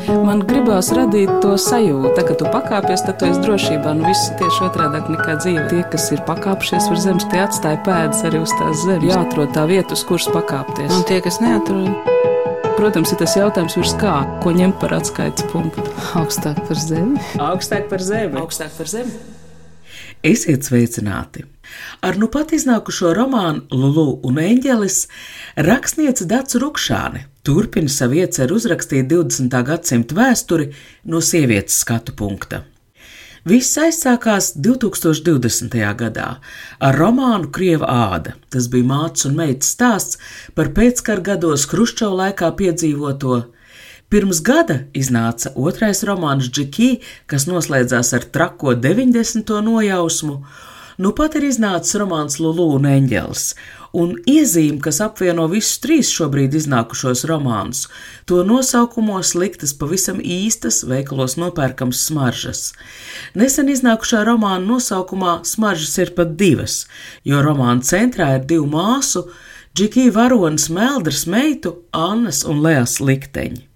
Man gribās radīt to sajūtu, tā, ka tu pakāpies, tad tu esi drošībā. Viss tieši otrādāk nekā dzīve. Tie, kas ir pakāpšies uz zemes, tie atstāja pēdas arī uz tās zemes. Jāatrod tā vieta, uz kuras pakāpties. Un tie, kas neatrod? Protams, ir tas jautājums virs kā, ko ņemt par atskaites punktu. Augstāk par zemi. Augstāk par zemi. Augstāk par zemi. Esiet sveicināti! Ar nu pat iznākušo romānu Lulu un eņģelis rakstniece Dace Rukšāne turpina savu ieceru uzrakstīt 20. gadsimta vēsturi no sievietes skatu punkta. Viss aizsākās 2020. gadā ar romānu Krieva āda. Tas bija mātes un meitas stāsts par pēckara gados Hruščova laikā piedzīvoto. Pirms gada iznāca otrais romāns Džeki, kas noslēdzās ar trako 90. nojausmu. Nu pat ir iznācis romāns Lulu un eņģelis, un iezīme, kas apvieno visus trīs šobrīd iznākušos romānus, to nosaukumos liktas pavisam īstas, veikalos nopērkams smaržas. Nesen iznākušā romāna nosaukumā smaržas ir pat divas, jo romāna centrā ir divu māsu, Džeki varonas Meldras meitu, Annas un Leas likteņi.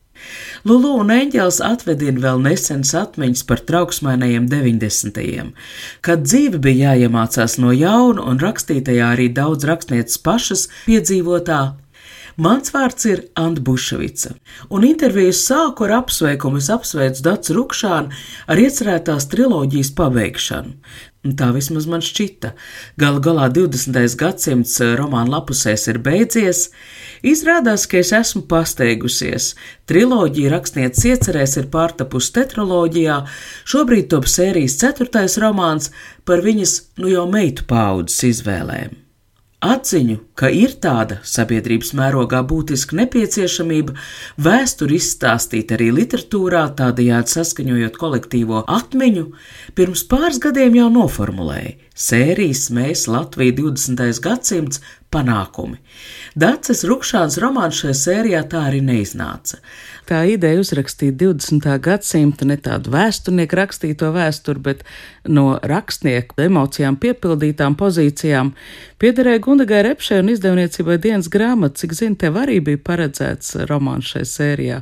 Lulu un eņģelis atvedina vēl nesenas atmiņas par trauksmainajiem 90. kad dzīve bija jāiemācās no jauna un rakstītajā arī daudz rakstnieces pašas piedzīvotā. Mans vārds ir Anta Buševica, un intervijas sāku ar apsveikumu. Es apsveicu Daci Rukšāni ar iecerētās triloģijas pabeigšanu. Tā vismaz man šķita. Galu galā 20. gadsimts romāna lapusēs ir beidzies. Izrādās, ka es esmu pasteigusies. Triloģija rakstnieces iecerēs ir pārtapusi tetraloģijā. Šobrīd top sērijas 4. romāns par viņas jau meitu paaudzes izvēlēm. Atziņu, ka ir tāda sabiedrības mērogā būtiska nepieciešamība vēsturi izstāstīt arī literatūrā, tādējādi saskaņojot kolektīvo atmiņu, pirms pāris gadiem jau noformulēja sērijas Mēs Latvija 20. gadsimts panākumi. Daces Rukšānas romāns šajā sērijā tā arī neiznāca. Tā ideja uzrakstīt 20. gadsimta ne tādu vēsturnieku rakstīto vēsturi, bet no rakstnieku emocijām piepildītām pozīcijām piederēja Gundagai Repšai un izdevniecībai Dienas grāmata. Cik zinu, tev arī bija paredzēts romāns šajā sērijā.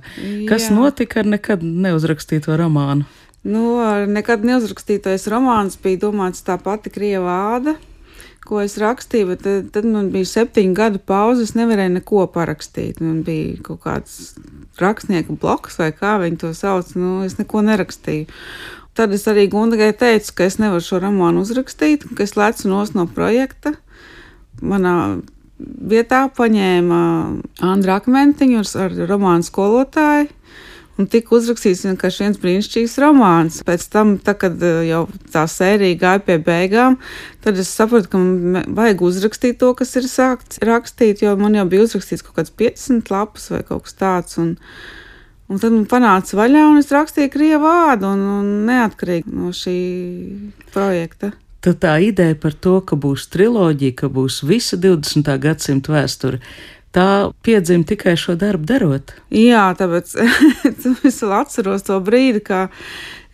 Kas notika ar nekad neuzrakstīto romānu? Ar nekad neuzrakstītais romāns bija domāts tā pati Krieva āda, ko es rakstīju, bet tad man bija 7 gadu pauze, es nevarēju neko parakstīt. Man bija kaut kāds rakstnieku bloks vai kā viņi to sauc, es neko nerakstīju. Tad es arī Gundagai teicu, ka es nevaru šo romānu uzrakstīt, ka es lecu no projekta. Manā vietā paņēma Andra Akmentiņu ar romānu skolotāju. Un tika uzrakstīts vienkārši viens brīnišķīgs romāns. Pēc tam, kad jau tā sērija gāja pie beigām, tad es sapratu, ka man vajag uzrakstīt to, kas ir sākts rakstīt, jo man jau bija uzrakstīts kaut kāds 50 lapas vai kaut kas tāds. Un tad man panāca vaļā, un es rakstīju Krieva ādu un neatkarīgi no šī projekta. Tad tā ideja par to, ka būs triloģija, ka būs visa 20. gadsimta vēsture, tā piedzima tikai šo darbu darot? Jā, tāpēc es vēl atceros to brīdi, kā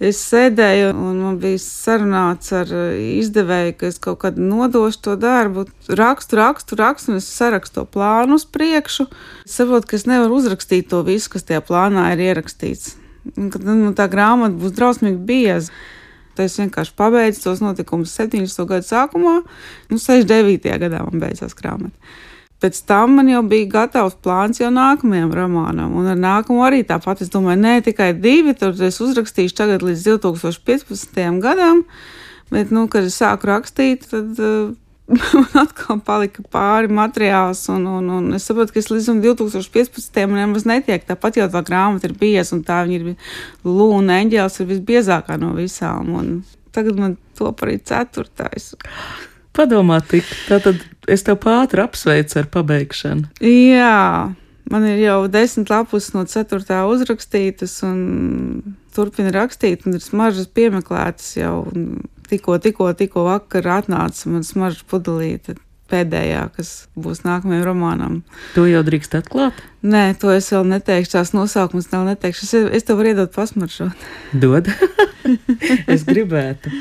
es sēdēju un man bija sarunāts ar izdevēju, ka es kaut kad nodošu to darbu, rakstu, un es sarakstu to plānu uz priekšu. Es saprotu, ka es nevaru uzrakstīt to visu, kas tajā plānā ir ierakstīts. Un kad tā grāmata būs drausmīgi bieza. Tad es vienkārši pabeidzu tos notikumus 70. gadu sākumā, 69. gadā man beidzās grāmata. Pēc tam man jau bija gatavs plāns jau nākamajam romānam, un ar nākamo arī tāpat. Es domāju, tikai 2, tad es uzrakstīšu tagad līdz 2015. gadam, bet, kad es sāku rakstīt, tad man atkal palika pāri materiāls, un es saprotu, ka es līdz 2015. man nemaz netiek. Tāpat jau tā grāmata ir bieza, un tā viņa ir Lulu un eņģelis ir visbiezākā no visām, un tagad man top arī 4. Padomā tik, tātad es tev pātri apsveicu ar pabeigšanu. Jā, man ir jau 10 lapus no 4. uzrakstītas un turpina rakstīt, un ir smaržas piemeklētas jau. Tikko vakar atnāca man smaržas pudelīte pēdējā, kas būs nākamajam romānam. To jau drīkst atklāt? Nē, to es vēl neteikšu, tās nosaukums vēl neteikšu. Es tev varu iedot pasmaržot. Dod? Es gribētu.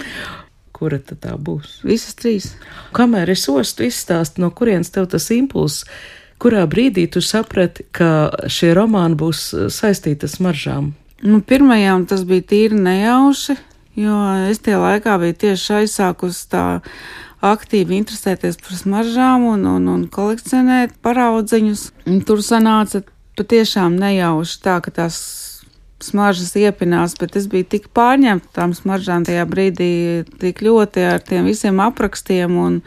Kura tad tā būs? Visas 3. Kamēr es ostu izstāstu, no kurienes tev tas impulss, kurā brīdī tu saprati, ka šie romāni būs saistīti ar smaržām? Pirmajām tas bija tīri nejauši, jo es tie laikā biju tieši aizsākusi tā aktīvi interesēties par smaržām un kolekcionēt paraudziņus. Un tur sanāca patiešām nejauši tā, ka tās smaržas iepinās, bet es biju tik pārņemta tām smaržām tajā brīdī, tik ļoti ar tiem visiem aprakstiem, un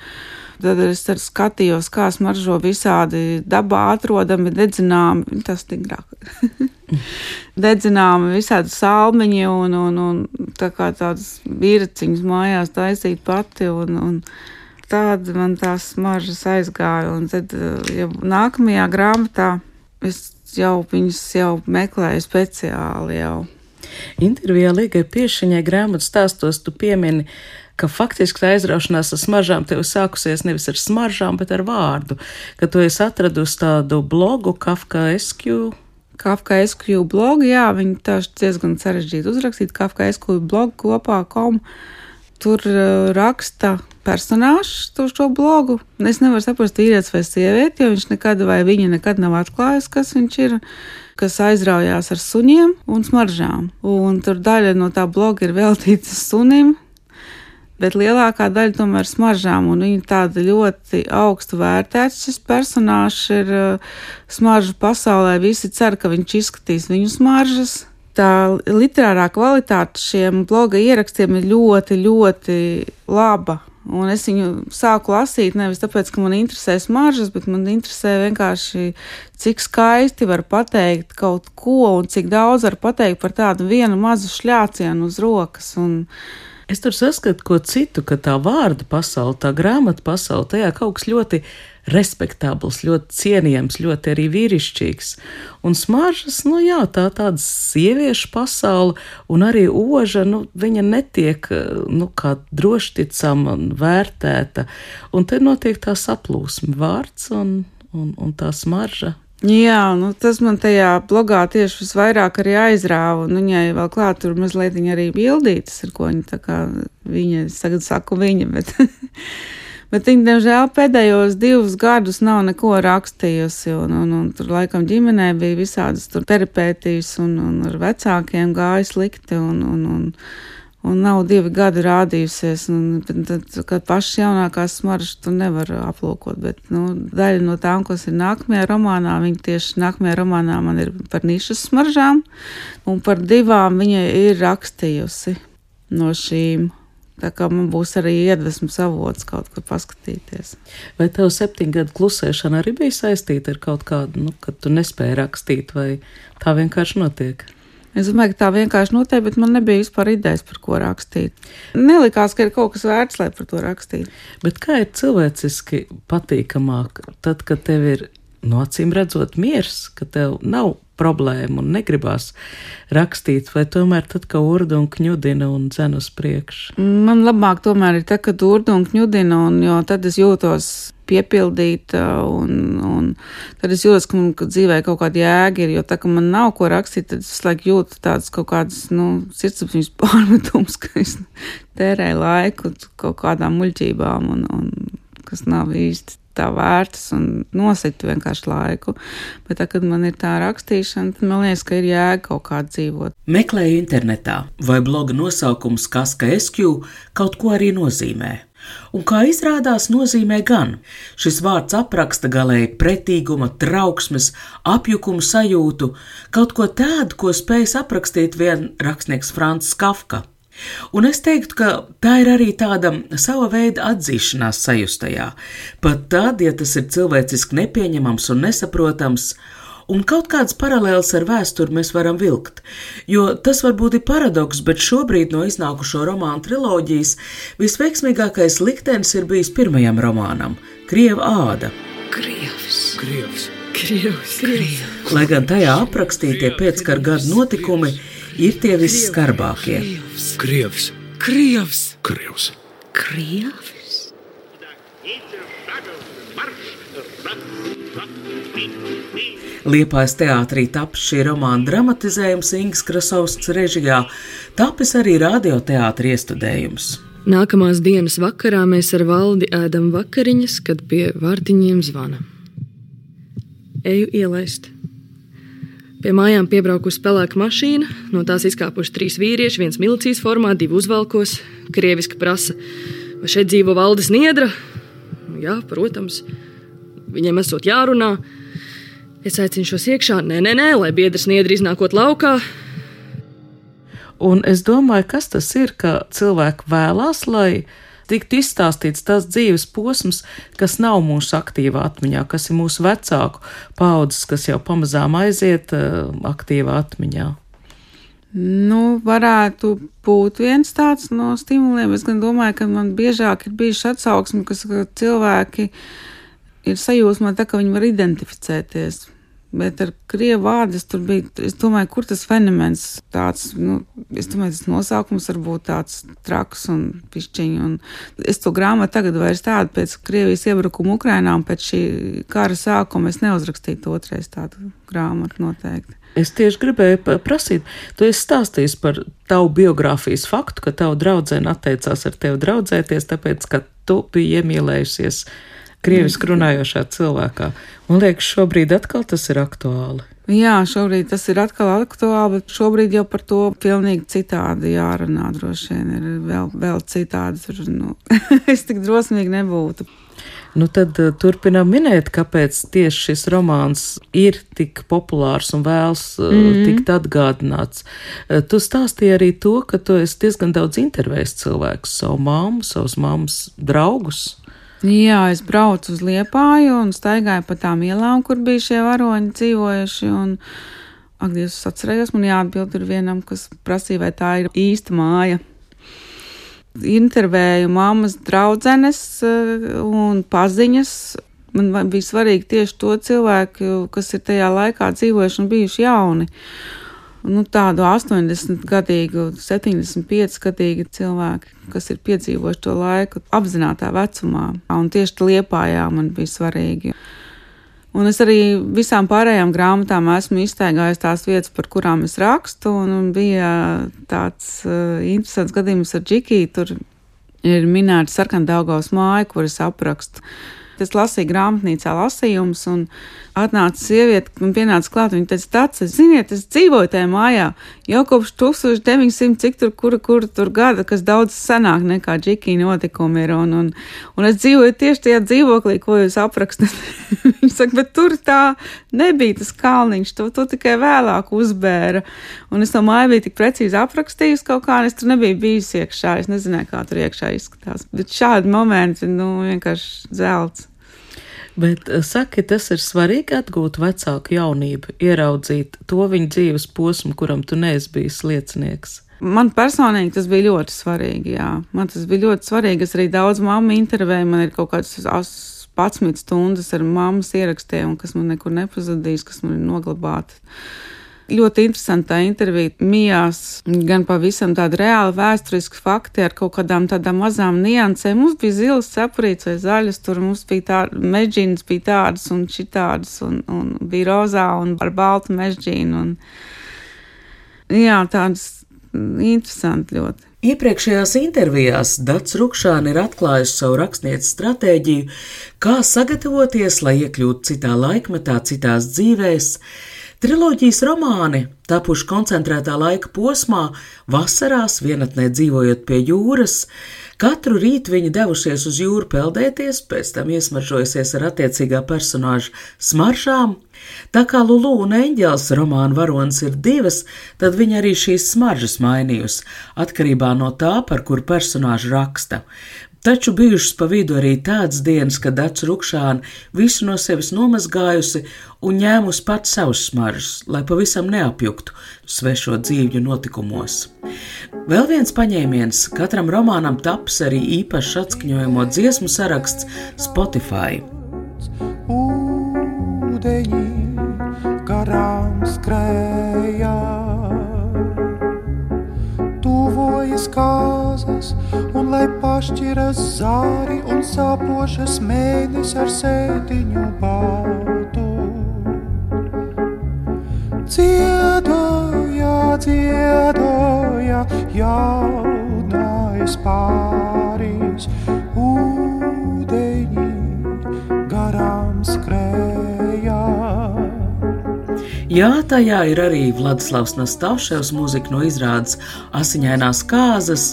tad es skatījos, kā smaržo visādi dabā atrodami, dedzināmi, tas stigrāk. Dedzināmi visādi salmiņi un tā kā tādas vīraciņas mājās taisīt pati, un tāda man tās smaržas aizgāja, un tad jau nākamajā grāmatā es viņas jau meklēju speciāli jau. Intervijā Ligai Piešiņai grāmatas stāstos tu piemini, ka faktiski tā aizraušanās ar smaržām tev sākusies nevis ar smaržām, bet ar vārdu, ka tu esi atradusi tādu blogu Kafkaesku blogu, jā, viņi tāši diezgan sarežģīti uzrakstīt, Kafkaesku blogu kopā.com. Tur raksta personāžs to šo blogu. Es nevaru saprast, vīrietis vai sievieti, jo viņa nekad nav atklājis, kas viņš ir, kas aizraujās ar suņiem un smaržām. Un tur daļa no tā bloga ir veltīta sunim, bet lielākā daļa tomēr smaržām, un viņa tāda ļoti augstu vērtēts. Šis personāžs ir smaržu pasaulē, visi cer, ka viņš izskatīs viņu smaržas. Tā literārā kvalitāte šiem bloga ierakstiem ir ļoti, ļoti laba. Un es viņu sāku lasīt nevis tāpēc, ka man interesē smaržas, bet man interesē vienkārši, cik skaisti var pateikt kaut ko un cik daudz var pateikt par tādu vienu mazu šļācienu uz rokas. Un es tur saskatu ko citu, ka tā vārda pasaule, tā grāmata pasaule, tajā kaut kas ļoti respektabls, ļoti cienījams, ļoti arī vīrišķīgs. Un smaržas, jā, tāda sieviešu pasaule, un arī oža, viņa netiek, kā drošticama un vērtēta. Un te notiek tā saplūsme, vārds un tā smarža. Jā, tas man tajā blogā tieši visvairāk arī aizrāva, un viņai vēl klāt tur mazliet arī bildītas, ar ko viņa, tagad saku viņa, bet... Bet viņa, diemžēl, pēdējos 2 gadus nav neko rakstījusi, un tur laikam ģimenē bija visādas tur peripētijas, un ar vecākiem gāja slikti, un nav 2 gadi rādījusies, un tad, kad pašas jaunākās smaržas tu nevar aplūkot, bet, daļa no tām, kas ir nākamajā romānā, viņa tieši nākamajā romānā man ir par nišas smaržām, un par 2 viņa ir rakstījusi no šīm. Tā kā man būs arī iedvesmas avots kaut kur paskatīties. Vai tev 7 gadu klusēšana arī bija saistīta ar kaut kādu, kad tu nespēji rakstīt, vai tā vienkārši notiek? Es domāju, ka tā vienkārši notiek, bet man nebija vispār idejas, par ko rakstīt. Nelikās, ka ir kaut kas vērts, lai par to rakstītu. Bet kā ir cilvēciski patīkamāk, tad, kad tev ir, acīm redzot, miers, ka tev nav problēmu un negribās rakstīt, vai tomēr tad, ka urdu un kņudina un dzen uz priekšu? Man labāk tomēr ir tad, kad urdu un kņudina, jo tad es jūtos piepildīta un tad es jūtos, ka man dzīvē kaut kāda jēga ir, jo tā, ka man nav ko rakstīt, tad es visu laiku jūtu tādas kaut kādas, sirdsapziņas pārmetums, ka es tērēju laiku kaut kādām muļķībām un kas nav īsti tā vērtas un nositu vienkārši laiku. Bet tā, kad man ir tā rakstīšana, tad man liekas, ka ir jēga kaut kā dzīvot. Meklēju internetā, vai bloga nosaukums Kafkaesku kaut ko arī nozīmē. Un kā izrādās, nozīmē gan. Šis vārds apraksta galēji pretīguma, trauksmes, apjukuma sajūtu, kaut ko tādu, ko spējis aprakstīt vien rakstnieks Francis Kafka. Un es teiktu, ka tā ir arī tāda sava veida atzīšanās sajustajā, pat tad, ja tas ir cilvēciski nepieņemams un nesaprotams, un kaut kāds paralēls ar vēsturi mēs varam vilkt, jo tas varbūt ir paradoks, bet šobrīd no iznākušo romānu triloģijas visveiksmīgākais liktenis ir bijis pirmajam romānam – Krieva āda. Krievs. Lai gan tajā aprakstītie pēckara gadu notikumi ir tie visskarbākie. Krievs. Liepājas teātrī tapis šī romāna dramatizējums Ingas Krasovskas režijā, tapis arī radioteātra iestudējums. Nākamās dienas vakarā mēs ar Valdi ēdam vakariņas, kad pie vārtiņiem zvana. Eju ielaist. Pie mājām piebraukusi pelēka mašīna, no tās izkāpuši 3 vīrieši, viens milicijas formā, 2 uzvalkos, krieviski prasa, vai šeit dzīvo Valdis Niedra? Jā, protams, viņiem esot jārunā. Es aicinu šos iekšā, nē, lai biedrs Niedra iznākot laukā. Un es domāju, kas tas ir, ka cilvēki vēlās, lai tiktu izstāstīts tas dzīves posms, kas nav mūsu aktīvā atmiņā, kas ir mūsu vecāku paudzes, kas jau pamazām aiziet aktīvā atmiņā. Varētu būt viens tāds no stimuliem. Es gan domāju, ka man biežāk ir bijuši atsauksmi, ka cilvēki ir sajūsmā tā, ka viņi var identificēties. Bet ar krievu vārdus tur bija, es domāju, kur tas fenomens tāds, es domāju, tas nosaukums var būt tāds traks un pišķiņi. Un es to grāmatu tagad vairs tādu pēc Krievijas iebrukuma Ukrainā un pēc šī kara sākuma es neuzrakstītu otrais tādu grāmatu noteikti. Es tieši gribēju prasīt, tu esi stāstījis par tavu biogrāfijas faktu, ka tavu draudzene atteicās ar tevi draudzēties, tāpēc, ka tu biji iemīlējusies krieviski runājošā cilvēkā. Man liekas, šobrīd atkal tas ir aktuāli. Jā, šobrīd tas ir atkal aktuāli, bet šobrīd jau par to pilnīgi citādi jārunā, droši vien ir vēl citādi. Es tik drosmīgi nebūtu. Tad turpinām minēt, kāpēc tieši šis romāns ir tik populārs un vēlas tikt atgādināts. Tu stāstīji arī to, ka tu esi diezgan daudz intervējis cilvēkus, savu mammu, savus mammas draugus. Jā, es braucu uz Liepāju un staigāju pa tām ielām, kur bija šie varoņi dzīvojuši. Ak, Dievs, es atcerējos, man jāatbild ir vienam, kas prasīja, vai tā ir īsta māja. Intervēju mammas draudzenes un paziņas. Man bija svarīgi tieši to cilvēku, kas ir tajā laikā dzīvojuši un bijuši jauni. Tādu 80-gadīgu, 75-gadīgu cilvēki, kas ir piedzīvojuši to laiku apzinātā vecumā. Un tieši Liepājā man bija svarīgi. Un es arī visām pārējām grāmatām esmu iztaigājis tās vietas, par kurām es rakstu. Un bija tāds interesants gadījums ar Džikiju. Tur ir minēta Sarkandaugavas māja, kur es aprakstu. Es lasīju grāmatnīcā lasījumus un atnāca sieviete un pienāca klāt. Viņa teica, tāds, ziniet, es dzīvoju tajā mājā jau kopš 1900 cik tur tur gada, kas daudz senāk nekā Džikija notikumi ir. Un es dzīvoju tieši tajā dzīvoklī, ko jūs aprakstat. Viņa saka, bet tur tā nebija tas kalniņš, to tikai vēlāk uzbēra. Un es to māju biju tik precīzi aprakstījusi kaut kā, un es tur nebiju bijusi iekšā. Es nezināju, kā tur iekšā izskatās. Bet šādi momenti, vienkārši zelts. Bet saki, tas ir svarīgi atgūt vecāku jaunību, ieraudzīt to viņa dzīves posmu, kuram tu neesi bijis liecinieks. Man personīgi tas bija ļoti svarīgi, jā. Man tas bija ļoti svarīgi. Es arī daudz mammu intervēju, man ir kaut kāds 11 stundas ar mammas ierakstiem, kas man nekur nepazudīs, kas man ir noglabāti. Ļoti interesantā intervija mijās gan pavisam tādi reāli vēsturiski fakti ar kaut kādām tādām mazām niansēm. Mums bija zilas cepurītes vai zaļas, tur mums bija mežģīnas bija tādas un šitādas un bija rozā un ar baltu mežģīnu. Jā, tādas interesanti ļoti. Iepriekšējās intervijās Dats Rukšāne ir atklājusi savu rakstnieces stratēģiju, kā sagatavoties, lai iekļūtu citā laikmetā, citās dzīvēs. Triloģijas romāni, tapuši koncentrētā laika posmā, vasarās vienatnē dzīvojot pie jūras, katru rītu viņi devušies uz jūru peldēties, pēc tam iesmaržojusies ar attiecīgā personāža smaržām. Tā kā Lulu un Eņģelis romāna varonis ir 2, tad viņa arī šīs smaržas mainījusi, atkarībā no tā, par kuru personāžu raksta. Taču bijušas pa vidu arī tādas dienas, kad Dats Rukšāne visu no sevis nomazgājusi un ņēmusi pats savus smaržas, lai pavisam neapjuktu svešo dzīvju notikumos. Vēl viens paņēmiens, katram romānam taps arī īpašs atskaņojamo dziesmu saraksts Spotify. Ūdeņi garām skrējā, tuvojas kāzas, un lai pašķiras zāri un sāpošas mēnes ar sēdiņu baltu. Dziedoja, dziedoja jaunais pāris, ūdeņi garām skrējā. Jā, tajā ir arī Vladislavs Nastāševs mūzika no izrādes Asiņainās kāzas.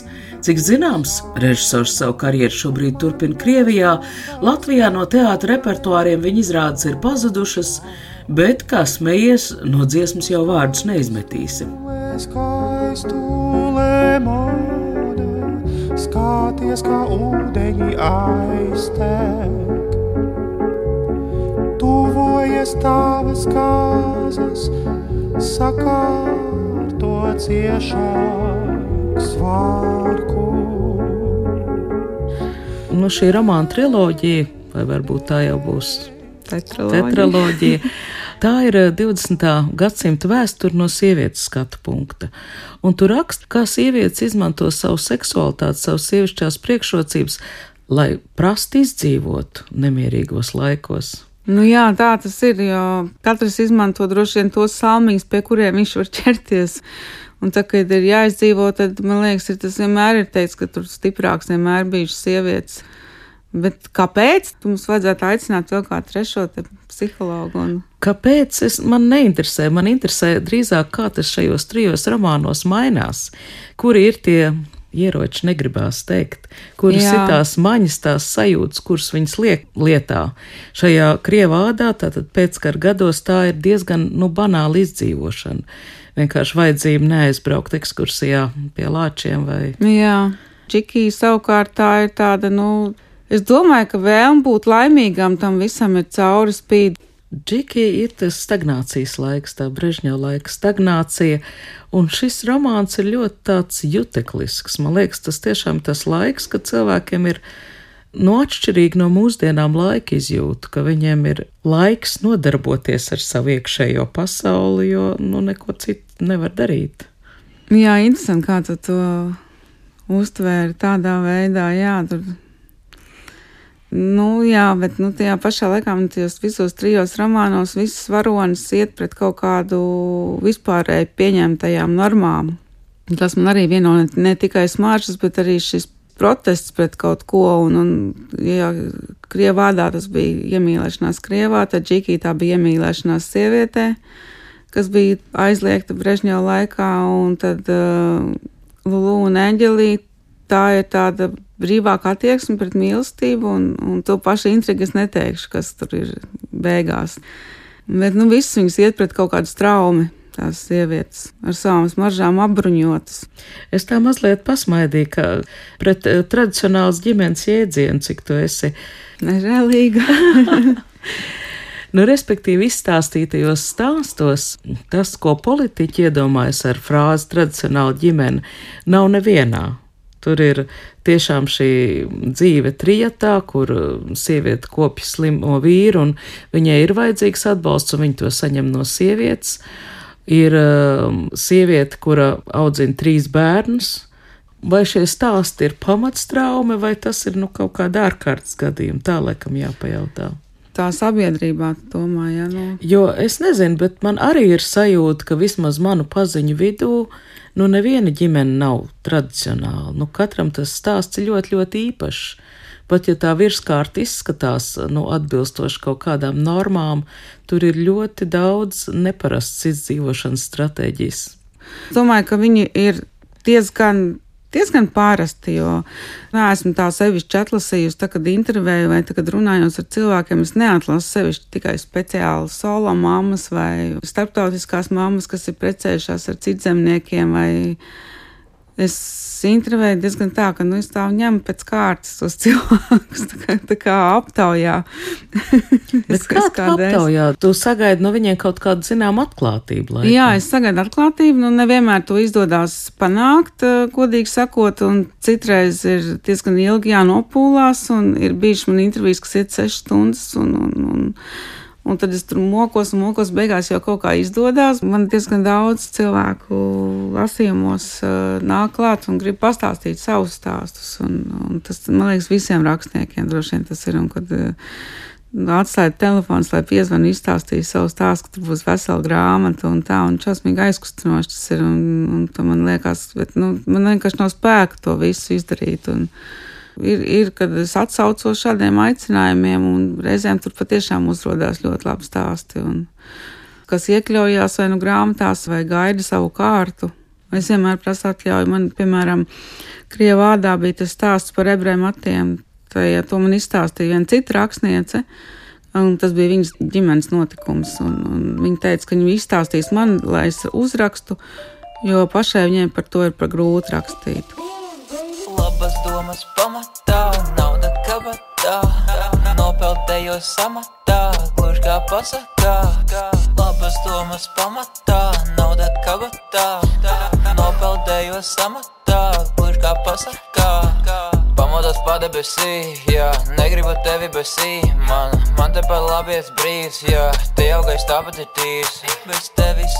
Cik zināms, režisors savu karjeru šobrīd turpina Krievijā. Latvijā no teātra repertuāriem viņa izrādes ir pazudušas, bet, kā smejies, no dziesmas jau vārdus neizmetīsi. Skaties, kā ūdeņi aiztek, tuvojas tavas kāzas, sakārto ciešāk svārku. Nu, šī romāna triloģija, vai varbūt tā jau būs tetraloģija, tā ir 20. gadsimta vēsture no sievietes skatu punkta. Un tu raksti, kā sievietes izmanto savu seksualitāti, savas sievišķās priekšrocības, lai prasti izdzīvotu nemierīgos laikos. Nu jā, tā tas ir, jo katrs izmanto droši vien tos salmiņus, pie kuriem viņš var ķerties. Un tā, kad ir jāizdzīvo, tad, man liekas, tas vienmēr ir teiks, ka tur stiprāks vienmēr bijušas sievietes. Bet kāpēc? Mums vajadzētu aicināt vēl kā trešo psihologu. Kāpēc? Man neinteresē. Man interesē drīzāk, kā tas šajos 3 romānos mainās. Kuri ir tie ieroči, negribās teikt, kuras ir tās maņas, tās sajūtas, kuras viņas liek lietā. Šajā krievādā, tātad pēckara gados, tā ir diezgan, banāla izdzīvošana. Vienkārši vajadzība neaizbraukt ekskursijā pie lāčiem vai... Jā, Džiki savukārt tā ir tāda, es domāju, ka vēlme būt laimīgam tam visam ir cauri spīd. Džiki ir tas stagnācijas laiks, tā Brežņeva laika stagnācija, un šis romāns ir ļoti tāds juteklisks. Man liekas, tas tiešām tas laiks, kad cilvēkiem ir atšķirīgi no mūsdienām laika izjūta, ka viņiem ir laiks nodarboties ar savu iekšējo pasauli, jo neko citu nevar darīt. Jā, interesanti, kā tu to uztvēri tādā veidā, jā, tur... Jā, bet tajā pašā laikā tajos visos 3 romānos visas varonis iet pret kaut kādu vispārēji pieņemtajām normām. Tas man arī vieno ne tikai smaržas, bet arī šis protests pret kaut ko, ja Krievādā tas bija iemīlēšanās Krievā, tad Džiki tā bija iemīlēšanās sievietē, kas bija aizliegta Brežņeva laikā, un tad Lulu un Eņģelī tā ir tāda brīvāka attieksme pret mīlestību, un to pašu intrigu es neteikšu, kas tur ir beigās. Bet, visas viņas iet pret kaut kādu straumi, tās sievietes, ar savām smaržām apbruņotas. Es tā mazliet pasmaidīju, ka pret tradicionāls ģimenes jēdzienu, cik tu esi nežēlīga. Respektīvi izstāstītajos stāstos, tas, ko politiķi iedomājas ar frāzi tradicionāla ģimene, nav nevienā. Tur ir tiešām šī dzīve trijatā, kur sieviete kopja slimo vīru, un viņai ir vajadzīgs atbalsts, un viņa to saņem no sievietes. Ir sieviete, kura audzina 3 bērnus. Vai šie stāsti ir pamatstraume, vai tas ir kaut kāda ārkārtas gadījuma? Tā laikam jāpajautā. Tā sabiedrībā, domāju, jā. Jo es nezinu, bet man arī ir sajūta, ka vismaz manu paziņu vidū neviena ģimene nav tradicionāla. Katram tas stāsts ir ļoti, ļoti īpašs. Pat ja tā virskārta izskatās atbilstoši kaut kādām normām, tur ir ļoti daudz neparasts izdzīvošanas stratēģijas. Domāju, ka viņi ir diezgan pārasti, jo neesmu tā sevišķi atlasījusi, kad intervēju vai kad runājos ar cilvēkiem, es neatlasu sevišķi tikai speciāli solo mammas vai starptautiskās mammas, kas ir precējušās ar citzemniekiem, vai es intervēju diezgan tā, ka es tā ņemu pēc kārtas tos cilvēkus, tā kā aptaujā. Bet kā aptaujā? Tu sagaidi no viņiem kaut kādu zinām atklātību? Laikam. Jā, es sagaidu atklātību, nevienmēr to izdodās panākt, godīgi sakot, un citreiz ir diezgan ilgi jānopūlās, un ir bijuši man intervijas, kas iet 6 stundas, un tad es tur mokos, beigās jau kaut kā izdodās. Man diezgan daudz cilvēku lasījumos nāk klāt un grib pastāstīt savus stāstus. Un tas, man liekas, visiem rakstniekiem droši vien tas ir. Un kad atstājot telefons, lai piezvanu izstāstīju savu stāstu, ka tur būs vesela grāmata un tā, un šausmīgi aizkustinoši tas ir. Un man liekas, bet man vienkārši nav spēka to visu izdarīt. Un Ir, kad es atsaucos šādiem aicinājumiem, un reizēm tur patiešām uzrodās ļoti labi stāsti. Un kas iekļaujās vai nu grāmatās, vai gaida savu kārtu. Es vienmēr prasu atļauju. Man, piemēram, Krievu vārdā bija tas stāsts par ebreju matiem. To man izstāstīja viena cita rakstniece, un tas bija viņas ģimenes notikums. Un viņa teica, ka viņa izstāstīs man, lai es uzrakstu, jo pašai viņai par to ir par grūti rakstīt. Labas domas pamatā, nauda kabatā, nopeldējos samatā, gluži kā pasakā. Labas domas pamatā, nauda kabatā, nopeldējos samatā, gluži kā pasakā. Pamodos padebesī, jā, negribu tevi besī, man tepat labies brīvs, jā, te augais tāpat ir tīrs, bez tevis.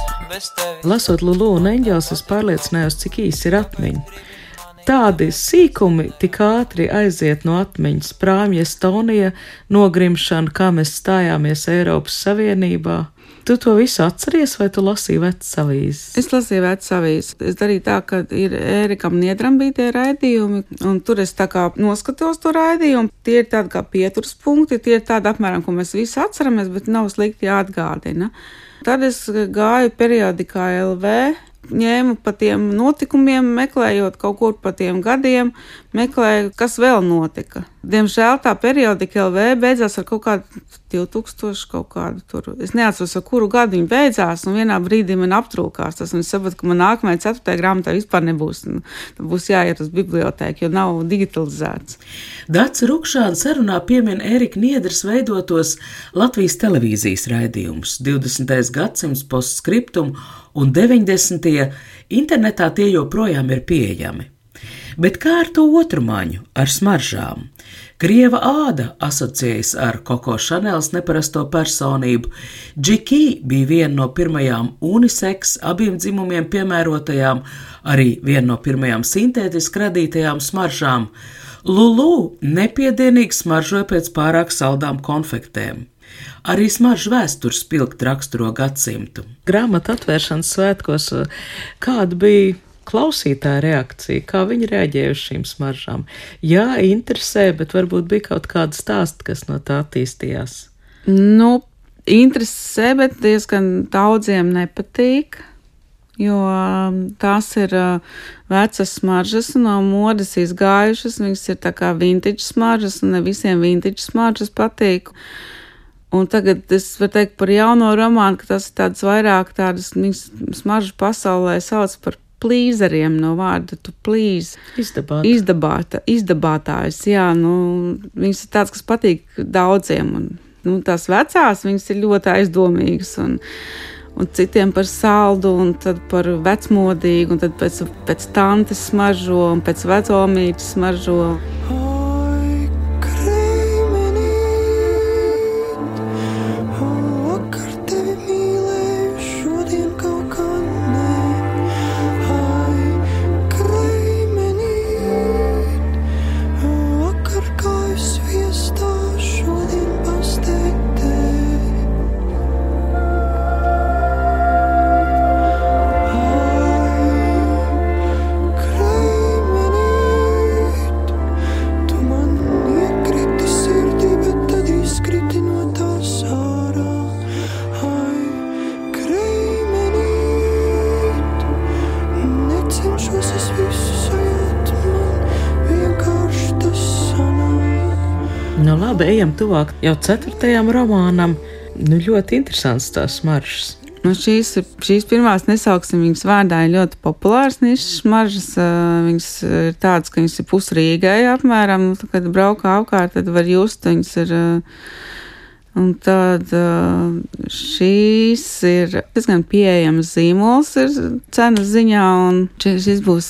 Lasot Lulu un Eņģeles, es pārliecinājos, cik īsi ir atmiņa. Tādi sīkumi tik ātri aiziet no atmiņas. Prāmja Estonija, nogrimšana, kā mēs stājāmies Eiropas Savienībā. Tu to visu atceries, vai tu lasīji vecas avīzes? Es lasīju vecas avīzes. Es darīju tā, ka ir Ērikam Niedram bija tie raidījumi, un tur es tā kā noskatos to raidījumu. Tie ir tādi kā pieturas punkti, tie ir tādi apmēram, ko mēs visi atceramies, bet nav slikti jāatgādina. Tad es gāju periodikā LV, ņēmu pa tiem notikumiem, meklējot kaut kur pa tiem gadiem, meklēju, kas vēl notika. Diemžēl tā periodika LV beidzās ar kaut kādu 2000 kaut kādu tur. Es neatceros, ar kuru gadu viņa beidzās, un vienā brīdī man aptrūkās tas, un es sapratu, ka man nākamajā 4. grāmatā vispār nebūs. Būs jāiet uz bibliotēku, jo nav digitalizēts. Dace Rukšāne sarunā piemin Ērika Niedras veidotos Latvijas televīzijas raidījumus 20. gadsimts postskriptum un 90. internetā tie joprojām ir pieejami. Bet kā ar to otru maņu, ar smaržām? Krieva āda asociējas ar Koko Šanels neparasto personību. Džiki bija viena no pirmajām unisex, abiem dzimumiem piemērotajām, arī viena no pirmajām sintētiski radītajām smaržām. Lulu nepiedienīgi smaržoja pēc pārāk saldām konfektēm. Arī smaržu vēstures spilgti raksturo gadsimtu. Grāmatu atvēršanas svētkos, kāda bija klausītāja reakcija, kā viņi reaģēja uz šīm smaržām? Jā, interesē, bet varbūt bija kaut kāda stāsta, kas no tā attīstījās. Interesē, bet diezgan daudziem nepatīk, jo tās ir vecas smaržas un no modes izgājušas, viņas ir tā kā vintage smaržas, un ne visiem vintage smaržas patīk. Un tagad es varu teikt par jauno romānu, ka tas ir tāds vairāk tādas smaržu pasaulē sauc par plīzeriem no vārda to please. Izdabātājs, jā, viņas ir tāds, kas patīk daudziem, un tās vecās, viņas ir ļoti aizdomīgas, un citiem par saldu, un tad par vecmodīgu, un tad pēc tantes smaržo, un pēc vecomītes smaržo. Labi, ejam tuvāk jau 4. romānam. Ļoti interesants tās smaržas. Šīs pirmās nesauksim viņas vārdā ir ļoti populāras nišas smaržas. Viņas ir tādas, ka viņas ir pusrīgai apmēram. Kad braukā apkārt, tad var just, viņas ir. Un tad šīs ir diezgan pieejams zīmols ir cenas ziņā, un šis būs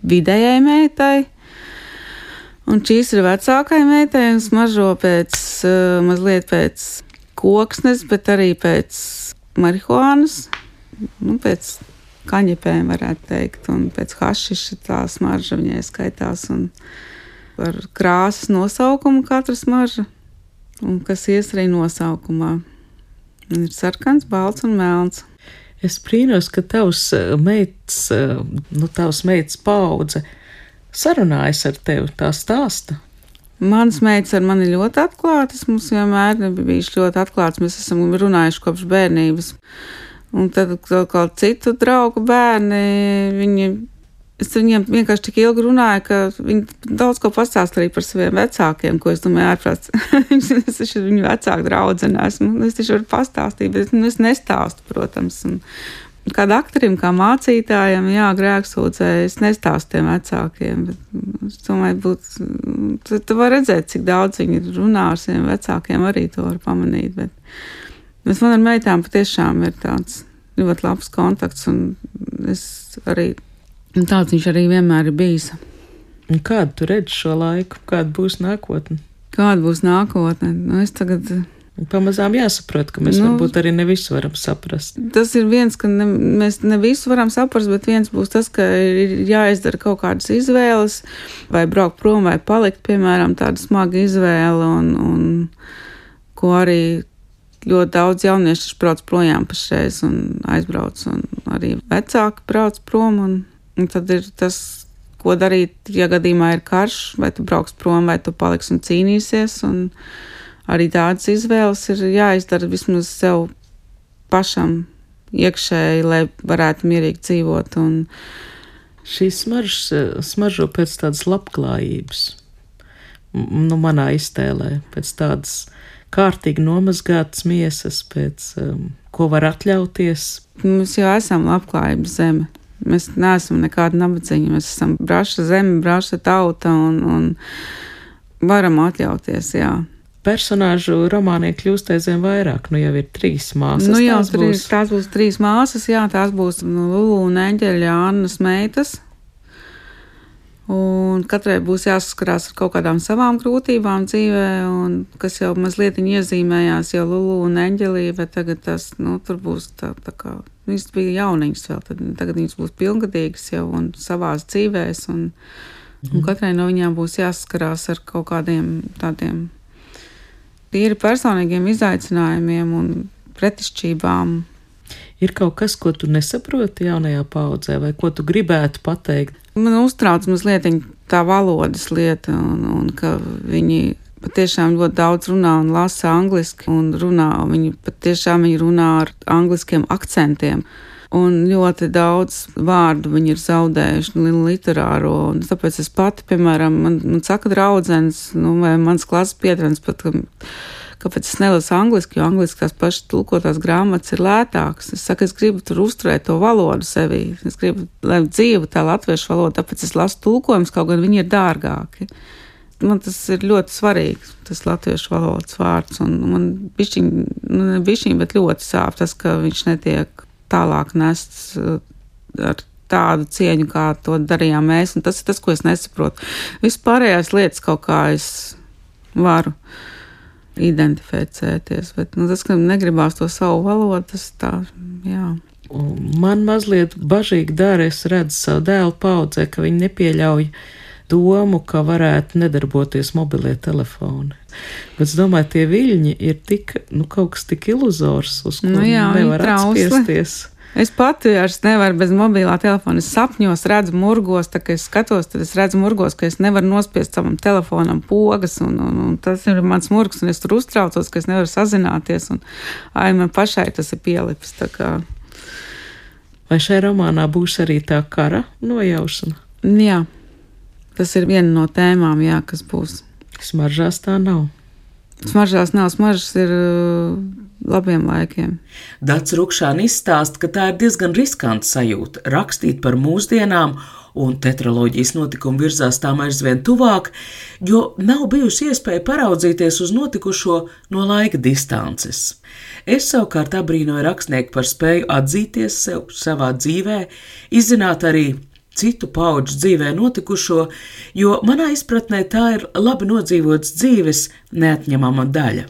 vidējai meitai. Un šīs ir vecākai meitai un smaržo mazliet pēc koksnes, bet arī pēc marihuānas, pēc kaņepēm varētu teikt, un pēc hašiša tā smarža viņai skaitās, un ar krāsas nosaukumu katra smarža, un kas ies arī nosaukumā. Ir sarkans, balts un melns. Es brīnos, ka tavs meitas paudze sarunājas ar tevi, tā stāsta. Manas meitas ar mani ļoti atklātas, mums vienmēr bijuši ļoti atklāts, mēs esam runājuši kopš bērnības. Un tad kā citu draugu bērni, es viņiem vienkārši tik ilgi runāju, ka viņi daudz ko pastāst arī par saviem vecākiem, ko es domāju ārprāts. Es taču viņu vecāku draudzene esmu, es taču varu pastāstīt, bet es nestāstu, protams. Un kāda aktorim, kā mācītājam, grēksūdzē, es nestāstu tiem vecākiem, bet es domāju, tu var redzēt, cik daudz viņi runā ar saviem vecākiem, arī to var pamanīt, bet man ar meitām patiešām ir tāds ļoti labs kontakts, un es arī, un tāds viņš arī vienmēr ir bijis. Un kādu tu redzi šo laiku? Kāda būs nākotne? Kāda būs nākotne? Es tagad... Pamazām jāsaprot, ka mēs varbūt arī ne visu varam saprast. Tas ir viens, ka mēs ne visu varam saprast, bet viens būs tas, ka ir jāizdara kaut kādas izvēles, vai braukt prom, vai palikt, piemēram, tāda smaga izvēle, un ko arī ļoti daudz jaunieši brauc projām pašreiz un aizbrauc, un arī vecāki brauc prom, un tad ir tas, ko darīt, ja gadījumā ir karš, vai tu brauks prom, vai tu paliksi un cīnīsies, un arī tādas izvēles ir jāizdara vismaz sev pašam iekšēji, lai varētu mierīgi dzīvot. Un šīs smaržo pēc tādas labklājības, manā iztēlē, pēc tādas kārtīgi nomazgātas miesas, pēc ko var atļauties. Mēs jau esam labklājības zeme. Mēs neesam nekāda nabadzīga, mēs esam braša zeme, braša tauta un varam atļauties, jā. Personāžu romāniem kļūst aizvien vairāk, jau ir 3 māsas. Tās būs 3 māsas, tās būs Lulu un Eņģeļa Annas meitas. Un katrai būs jāsaskarās ar kaut kādām savām grūtībām dzīvē, un kas jau mazliet iezīmējās jau Lulu un Eņģelī, bet tagad tas, tur būs tā kā, viņas bija jauniņas vēl, tagad viņas būs pilngadīgas jau un savās dzīvēs, un katrai no viņām būs jāsaskarās ar kaut kādiem tādiem tīri personīgiem izaicinājumiem un pretišķībām. Ir kaut kas, ko tu nesaproti jaunajā paudzē, vai ko tu gribētu pateikt? Man uztrauc mazliet tā valodas lieta, un ka viņi patiešām ļoti daudz runā un lasa angliski, un viņi patiešām runā ar angliskiem akcentiem. Un ļoti daudz vārdu viņi ir zaudējuši literāro, un tāpēc es pati, piemēram, man saka draudzenes, vai mans klases biedrenes pat, kāpēc es nelasu angliski, jo angliski tās pašas tulkotās grāmatas ir lētākas. Es saku, es gribu tur uzturēt to valodu sevī, es gribu, lai dzīvu tā latviešu valoda, tāpēc es lasu tulkojumus, kaut gan viņi ir dārgāki. Man tas ir ļoti svarīgi, tas latviešu valodas vārds, un man bišķiņ, bet ļoti sāp tas, ka viņš netiek tālāk nests ar tādu cieņu, kā to darījām mēs, un tas ir tas, ko es nesaprotu. Vispārējās lietas kaut kā es varu identificēties, bet tas, ka negribās to savu valodu, tas tā, jā. Man mazliet bažīgi dara, es redzu savu dēlu paudzē, ka viņi nepieļauj domu, ka varētu nedarboties mobilie telefoni. Bet es domāju, tie viļņi ir tik, kaut kas tik iluzors, uz ko nevar atspiesties. Es pati vairs nevaru bez mobilā telefona. Es sapņos redzu murgos, tā kā es skatos, tad es redzu murgos, ka es nevaru nospiest savam telefonam pogas, un tas ir mans murgs, un es tur uztraucos, ka es nevaru sazināties, un man pašai tas ir pielipis, tā kā. Vai šai romānā būs arī tā kara nojaušana? Jā. Tas ir viena no tēmām, kas būs. Smaržās tā nav. Smaržās nav, smaržas ir labiem laikiem. Dace Rukšāne izstāsta, ka tā ir diezgan riskanta sajūta rakstīt par mūsdienām, un tetraloģijas notikumi virzās tām aizvien tuvāk, jo nav bijusi iespēja paraudzīties uz notikušo no laika distances. Es savukārt abrīnoju rakstnieku par spēju atzīties sev savā dzīvē, izzināt arī citu paudžu dzīvē notikušo, jo manā izpratnē tā ir labi nodzīvots dzīves neatņemama daļa.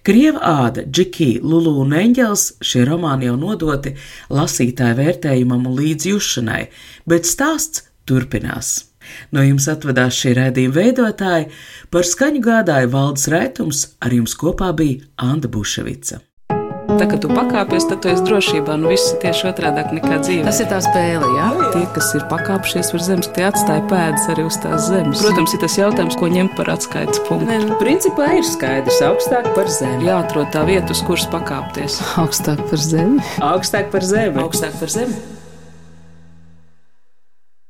Krieva āda, Džiki, Lulu un Eņģelis šie romāni jau nodoti lasītāju vērtējumam un līdzjūšanai, bet stāsts turpinās. No jums atvedās šī raidījuma veidotāji, par skaņu gādāja Valdis Raitums, ar jums kopā bija Anda Buševica. tā, kad tu pakāpies, tad tu esi drošībā. Nu, viss ir tieši otrādāk nekā dzīvē. Tas ir tā spēle, jā? Tie, kas ir pakāpšies par zemes, tie atstāja pēdas arī uz tās zemes. Protams, ir tas jautājums, ko ņemt par atskaites punktu. Principā ir skaidrs, augstāk par zemi. Jāatrod tā vieta, uz kuras pakāpties. Augstāk par zemi. Augstāk par zemi. Augstāk par zemi.